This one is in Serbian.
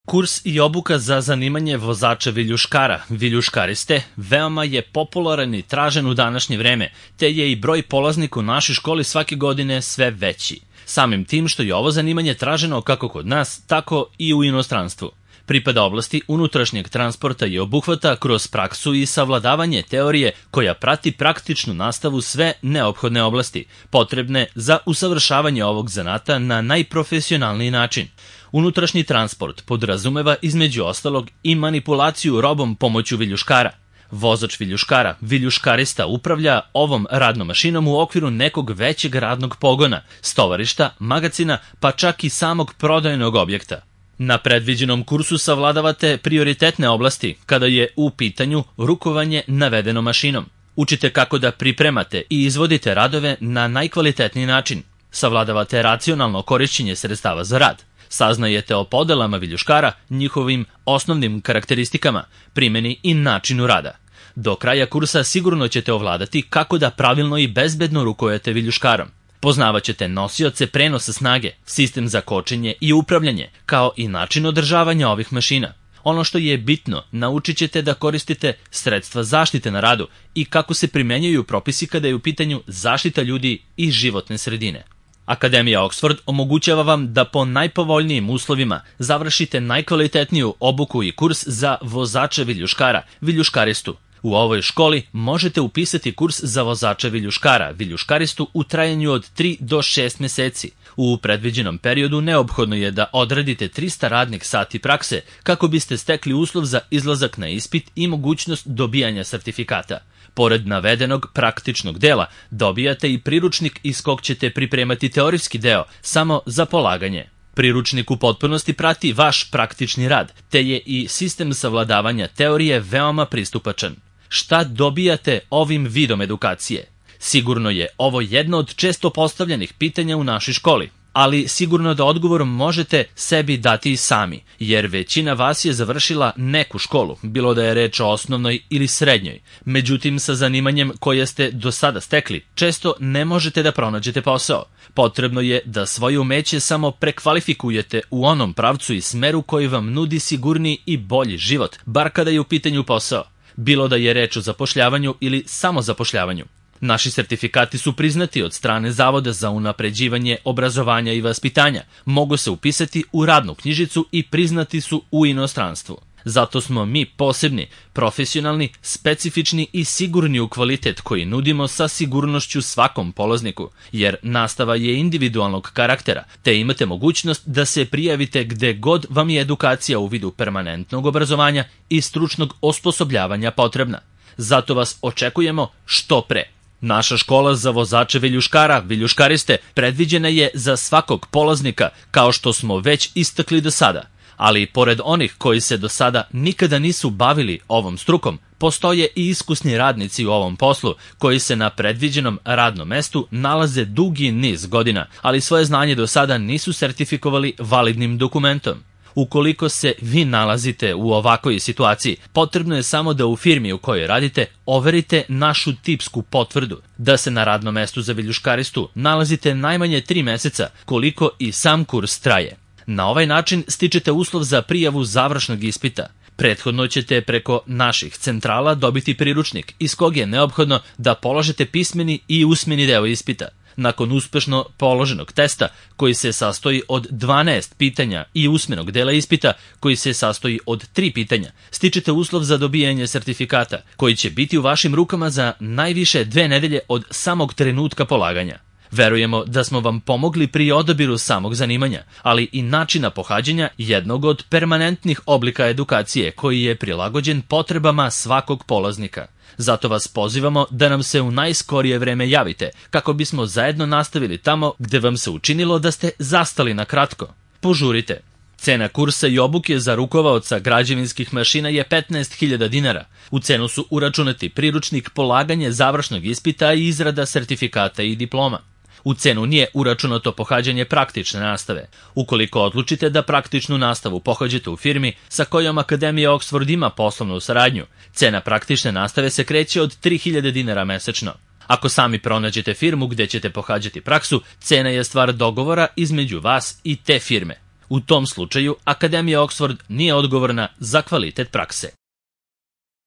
Kurs i obuka za zanimanje vozača viljuškara, viljuškariste, veoma je popularan i tražen u današnje vreme, te je i broj polaznika u našoj školi svake godine sve veći. Samim tim što je ovo zanimanje traženo kako kod nas, tako i u inostranstvu. Pripada oblasti unutrašnjeg transporta i obuhvata kroz praksu i savladavanje teorije koja prati praktičnu nastavu sve neophodne oblasti, potrebne za usavršavanje ovog zanata na najprofesionalniji način. Unutrašnji transport podrazumeva između ostalog i manipulaciju robom pomoću viljuškara. Vozač viljuškara, viljuškarista, upravlja ovom radnom mašinom u okviru nekog većeg radnog pogona, stovarišta, magacina, pa čak i samog prodajnog objekta. Na predviđenom kursu savladavate prioritetne oblasti kada je u pitanju rukovanje navedenom mašinom. Učite kako da pripremate i izvodite radove na najkvalitetniji način. Savladavate racionalno korišćenje sredstava za rad. Saznajete o podelama viljuškara, njihovim osnovnim karakteristikama, primjeni i načinu rada. Do kraja kursa sigurno ćete ovladati kako da pravilno i bezbedno rukujete viljuškarom. Poznavaćete nosioce prenosa snage, sistem za kočenje i upravljanje, kao i način održavanja ovih mašina. Ono što je bitno, naučit ćete da koristite sredstva zaštite na radu i kako se primenjuju propisi kada je u pitanju zaštita ljudi i životne sredine. Akademija Oxford omogućava vam da po najpovoljnijim uslovima završite najkvalitetniju obuku i kurs za vozača viljuškara, viljuškaristu. U ovoj školi možete upisati kurs za vozača viljuškara, viljuškaristu u trajanju od 3 do 6 meseci. U predviđenom periodu neophodno je da odradite 300 radnih sati prakse kako biste stekli uslov za izlazak na ispit i mogućnost dobijanja sertifikata. Pored navedenog praktičnog dela, dobijate i priručnik iz kog ćete pripremati teorijski deo samo za polaganje. Priručnik u potpunosti prati vaš praktični rad, te je i sistem savladavanja teorije veoma pristupačan. Šta dobijate ovim vidom edukacije? Sigurno je ovo jedno od često postavljenih pitanja u našoj školi, ali sigurno da odgovor možete sebi dati i sami, jer većina vas je završila neku školu, bilo da je reč o osnovnoj ili srednjoj. Međutim, sa zanimanjem koje ste do sada stekli, često ne možete da pronađete posao. Potrebno je da svoje umeće samo prekvalifikujete u onom pravcu i smeru koji vam nudi sigurniji i bolji život, bar kada je u pitanju posao, bilo da je reč o zapošljavanju ili samozapošljavanju. Naši sertifikati su priznati od strane Zavoda za unapređivanje obrazovanja i vaspitanja, mogu se upisati u radnu knjižicu i priznati su u inostranstvu. Zato smo mi posebni, profesionalni, specifični i sigurni u kvalitet koji nudimo sa sigurnošću svakom polazniku, jer nastava je individualnog karaktera, te imate mogućnost da se prijavite gde god vam je edukacija u vidu permanentnog obrazovanja i stručnog osposobljavanja potrebna. Zato vas očekujemo što pre. Naša škola za vozače viljuškara, viljuškariste, predviđena je za svakog polaznika, kao što smo već istakli do sada. Ali pored onih koji se do sada nikada nisu bavili ovom strukom, postoje i iskusni radnici u ovom poslu, koji se na predviđenom radnom mestu nalaze dugi niz godina, ali svoje znanje do sada nisu sertifikovali validnim dokumentom. Ukoliko se vi nalazite u ovakvoj situaciji, potrebno je samo da u firmi u kojoj radite overite našu tipsku potvrdu, da se na radnom mestu za viljuškaristu nalazite najmanje 3 meseca, koliko i sam kurs traje. Na ovaj način stičete uslov za prijavu završnog ispita. Prethodno ćete preko naših centrala dobiti priručnik, iz kog je neophodno da položite pismeni i usmeni deo ispita. Nakon uspešno položenog testa, koji se sastoji od 12 pitanja, i usmenog dela ispita, koji se sastoji od 3 pitanja, stičete uslov za dobijanje sertifikata, koji će biti u vašim rukama za najviše 2 nedelje od samog trenutka polaganja. Verujemo da smo vam pomogli pri odabiru samog zanimanja, ali i načina pohađanja jednog od permanentnih oblika edukacije koji je prilagođen potrebama svakog polaznika. Zato vas pozivamo da nam se u najskorije vreme javite, kako bismo zajedno nastavili tamo gde vam se učinilo da ste zastali na kratko. Požurite! Cena kursa i obuke za rukovaoca građevinskih mašina je 15.000 dinara. U cenu su uračunati priručnik, polaganje završnog ispita i izrada sertifikata i diploma. U cenu nije uračunato pohađanje praktične nastave. Ukoliko odlučite da praktičnu nastavu pohađate u firmi sa kojom Akademija Oxford ima poslovnu saradnju, cena praktične nastave se kreće od 3.000 dinara mesečno. Ako sami pronađete firmu gde ćete pohađati praksu, cena je stvar dogovora između vas i te firme. U tom slučaju, Akademija Oxford nije odgovorna za kvalitet prakse.